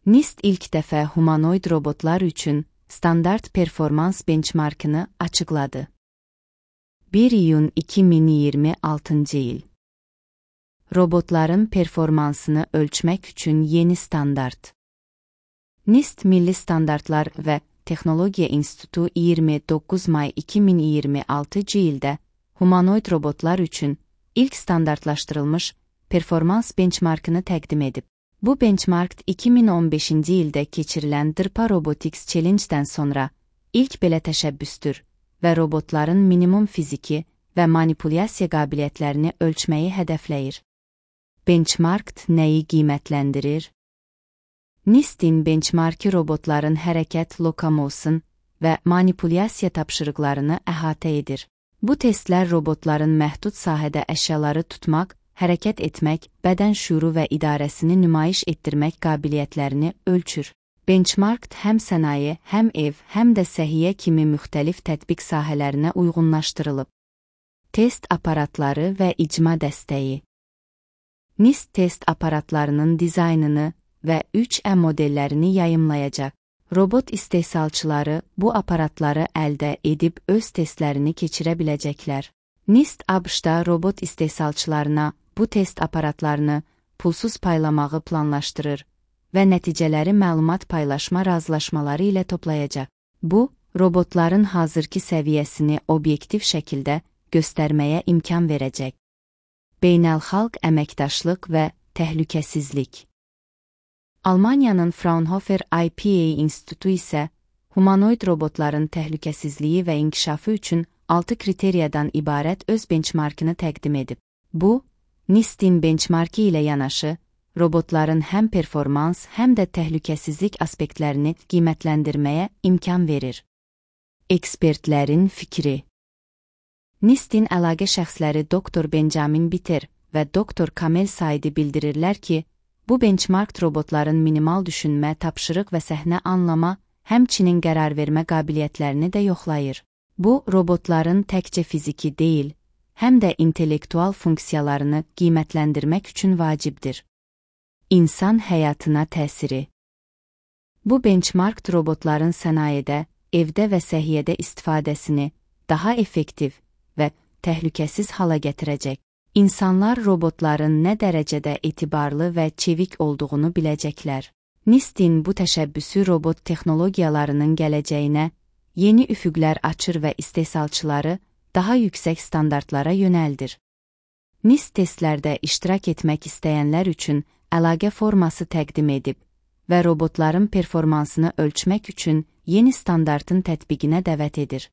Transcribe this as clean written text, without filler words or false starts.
NIST ilk dəfə humanoid robotlar üçün standart performans benchmarkını açıqladı. 1 iyun 2026 il. Robotların performansını ölçmək üçün yeni standart. NIST Milli Standartlar və Texnologiya İnstitutu 29 may 2026 ildə humanoid robotlar üçün ilk standartlaşdırılmış performans benchmarkını təqdim edib. Bu benchmark 2015-ci ildə keçirilən DARPA Robotics Challenge-dən sonra ilk belə təşəbbüsdür və robotların minimum fiziki və manipulyasiya qabiliyyətlərini ölçməyi hədəfləyir. Benchmark nəyi qiymətləndirir? NIST-in benchmarki robotların hərəkət, lokomotion və manipulyasiya tapşırıqlarını əhatə edir. Bu testlər robotların məhdud sahədə əşyaları tutmaq, hərəkət etmək, bədən şüuru və idarəsini nümayiş etdirmək qabiliyyətlərini ölçür. Benchmark həm sənaye, həm ev, həm də səhiyyə kimi müxtəlif tətbiq sahələrinə uyğunlaşdırılıb. Test aparatları və icma dəstəyi. NIST test aparatlarının dizaynını və 3E modellərini yayımlayacaq. Robot istehsalçıları bu aparatları əldə edib öz testlərini keçirə biləcəklər. NIST ABŞ-da robot istehsalçılarına bu test aparatlarını pulsuz paylamağı planlaşdırır və nəticələri məlumat paylaşma razılaşmaları ilə toplayacaq. Bu, robotların hazırki səviyyəsini obyektiv şəkildə göstərməyə imkan verəcək. Beynəlxalq əməkdaşlıq və təhlükəsizlik. Almaniyanın Fraunhofer IPA İnstitutu isə humanoid robotların təhlükəsizliyi və inkişafı üçün 6 kriteriyadan ibarət öz benchmarkını təqdim edib. Bu, NIST-in benchmarki ilə yanaşı, robotların həm performans, həm də təhlükəsizlik aspektlərini qiymətləndirməyə imkan verir. Ekspertlərin fikri. NIST-in əlaqə şəxsləri Dr. Benjamin Bitter və Dr. Kamel Saidi bildirirlər ki, bu benchmark robotların minimal düşünmə, tapşırıq və səhnə anlama, həmçinin qərar vermə qabiliyyətlərini də yoxlayır. Bu, robotların təkcə fiziki deyil, həm də intellektual funksiyalarını qiymətləndirmək üçün vacibdir. İnsan həyatına təsiri. Bu benchmark robotların sənayedə, evdə və səhiyyədə istifadəsini daha effektiv və təhlükəsiz hala gətirəcək. İnsanlar robotların nə dərəcədə etibarlı və çevik olduğunu biləcəklər. NIST-in bu təşəbbüsü robot texnologiyalarının gələcəyinə yeni üfüqlər açır və istehsalçıları daha yüksək standartlara yönəldir. NIST testlərdə iştirak etmək istəyənlər üçün əlaqə forması təqdim edib və robotların performansını ölçmək üçün yeni standartın tətbiqinə dəvət edir.